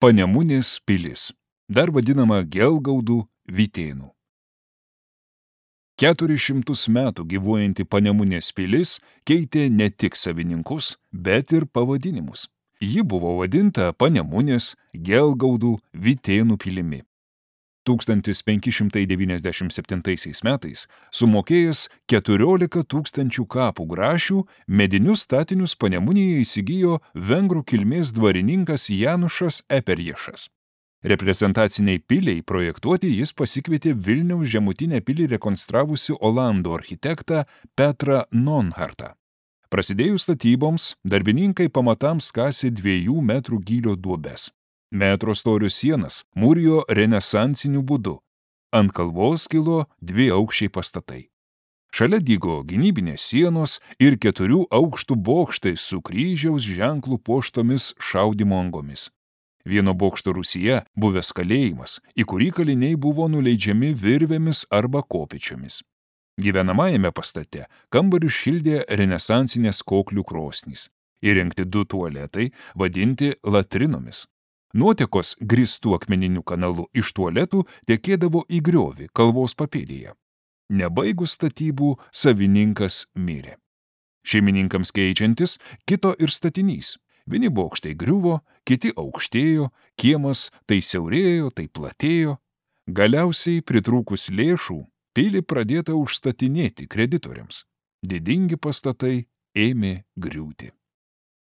Panemunės pilis, dar vadinama Gelgaudų Vytėnų. 400 metų gyvuojanti Panemunės pilis keitė ne tik savininkus, bet ir pavadinimus. Ji buvo vadinta Panemunės, Gelgaudų, Vytėnų pilimi. 1597 metais sumokėjęs 14 000 kapų grašių, medinius statinius Panemunėje įsigijo vengrų kilmės dvarininkas Janušas Eperješas. Reprezentaciniai piliai projektuoti jis pasikvietė Vilniaus žemutinę pilį rekonstravusi olandų architektą Petrą Nonhartą. Prasidėjus statyboms, darbininkai pamatams kasė 2 metrų gylio duobes. Metro storio sienas mūrijo renesansiniu būdu. Ant kalvos kilo 2 aukščiai pastatai. Šalia dygo gynybinės sienos ir 4 aukštų bokštai su kryžiaus ženklų puoštomis šaudymo angomis. Vieno bokšto rūsyje buvęs kalėjimas, į kurį kaliniai buvo nuleidžiami virvėmis arba kopėčiomis. Gyvenamajame pastate kambarius šildė renesansinės koklių krosnys. Įrengti 2 tualetai, vadinti latrinomis. Nuotekos grįstų akmeniniu kanalu iš tualetų tekėdavo į griovį kalvos papėdėje. Nebaigus statybų, savininkas mirė. Šeimininkams keičiantis, kito ir statinys. Vieni bokštai griuvo, kiti aukštėjo, kiemas tai siaurėjo, tai platėjo. Galiausiai, pritrūkus lėšų, pilį pradėta užstatinėti kreditoriams. Didingi pastatai ėmė griūti.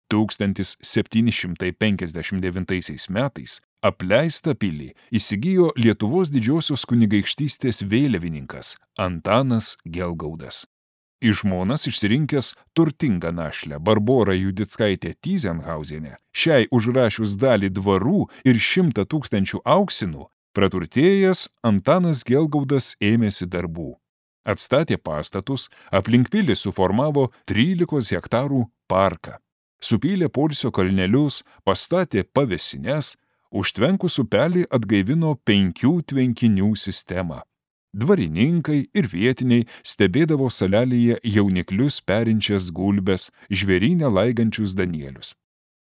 1759 metais apleistą pilį įsigijo Lietuvos didžiosios kunigaikštystės vėliavininkas Antanas Gelgaudas. Į žmonas išsirinkęs turtingą našlę Barborą Judickaitę Tyzenhauzienę, šiai užrašius dalį dvarų ir 100 000 auksinų, praturtėjęs Antanas Gelgaudas ėmėsi darbų. Atstatė pastatus, aplink pilį suformavo 13 hektarų parką. Supylė poilsio kalnelius, pastatė pavėsines, užtvenkus upelį atgaivino 5 tvenkinių sistemą. Dvarininkai ir vietiniai stebėdavo salelėje jauniklius perinčias gulbes, žvėryne laigančius danielius.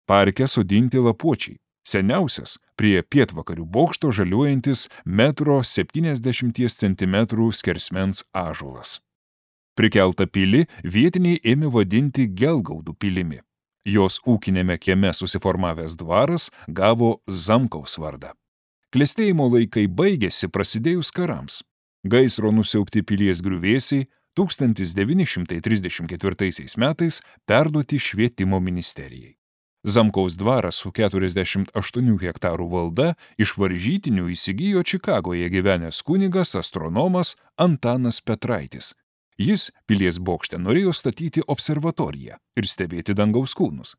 Parke sodinti lapuočiai, seniausias prie pietvakarių bokšto žaliuojantis 1,70 cm skersmens ąžuolas. Prikeltą pilį vietiniai ėmė vadinti Gelgaudų pilimi. Jos ūkinėme kieme susiformavęs dvaras gavo Zamkaus vardą. Klestėjimo laikai baigėsi prasidėjus karams. Gaisro nusiaubti pilies griuvėsiai 1934 metais perduoti švietimo ministerijai. Zamkaus dvaras su 48 hektarų valda iš varžytinių įsigijo Čikagoje gyvenęs kunigas astronomas Antanas Petraitis. Jis pilies bokšte norėjo statyti observatoriją ir stebėti dangaus kūnus.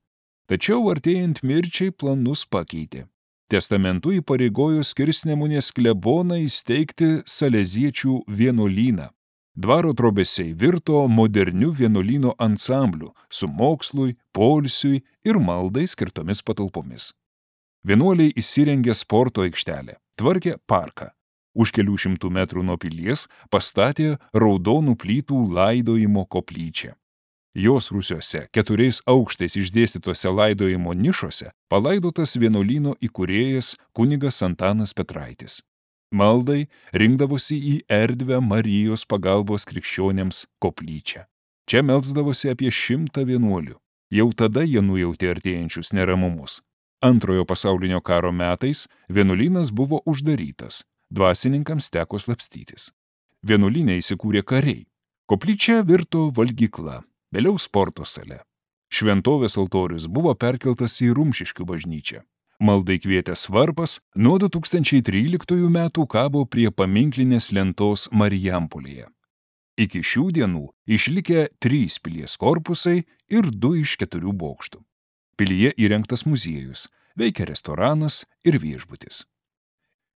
Tačiau artėjant mirčiai planus pakeitė. Testamentu įpareigojo Skirsnemunės kleboną įsteigti saleziečių vienuolyną. Dvaro trobesiai virto moderniu vienuolyno ansambliu su mokslui, poilsiui ir maldai skirtomis patalpomis. Vienuoliai įsirengė sporto aikštelę, tvarkė parką. Už kelių 100 metrų nuo pilies pastatė raudonų plytų laidojimo koplyčią. Jos rūsiuose 4 aukštais išdėstytose laidojimo nišose palaidotas vienuolyno įkūrėjas kunigas Antanas Petraitis. Maldai rinkdavosi į erdvę Marijos pagalbos krikščionėms koplyčią. Čia melsdavosi apie 100 vienuolių. Jau tada jie nujautė artėjančius neramumus. Antrojo pasaulinio karo metais vienuolynas buvo uždarytas. Dvasininkams teko slapstytis. Vienuolyne įsikūrė kariai. Koplyčia virto valgykla. Vėliau sporto sale. Šventovės altorius buvo perkeltas į Rumšiškių bažnyčią. Maldai kvietęs varpas nuo 2013 metų kabo prie paminklinės lentos Marijampolėje. Iki šių dienų išlikę 3 pilies korpusai ir 2 iš 4 bokštų. Pilyje įrengtas muziejus, veikia restoranas ir viešbutis.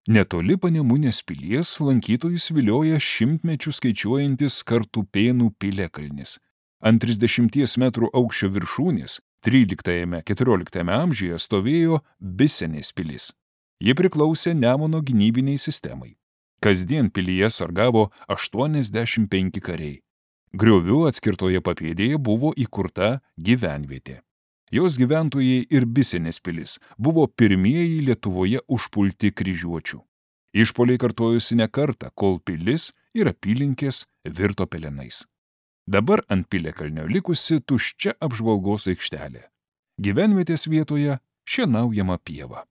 Netoli Panemunės pilies lankytojus vilioja 100 mečių skaičiuojantis Kartupėnų piliakalnis. Ant 30 metrų aukščio viršūnės 13–14 amžiuje stovėjo Bisenės pilis. Ji priklausė Nemuno gynybiniai sistemai. Kasdien pilyje sargavo 85 kariai. Griovių atskirtoje papėdėje buvo įkurta gyvenvietė. Jos gyventojai ir Bisenės pilis buvo pirmieji Lietuvoje užpulti kryžiuočių. Išpoliai kartojosi ne kartą, kol pilis ir apylinkės virto pelenais. Dabar ant Piliakalnio likusi tuščia apžvalgos aikštelė. Gyvenvietės vietoje šienaujama pieva.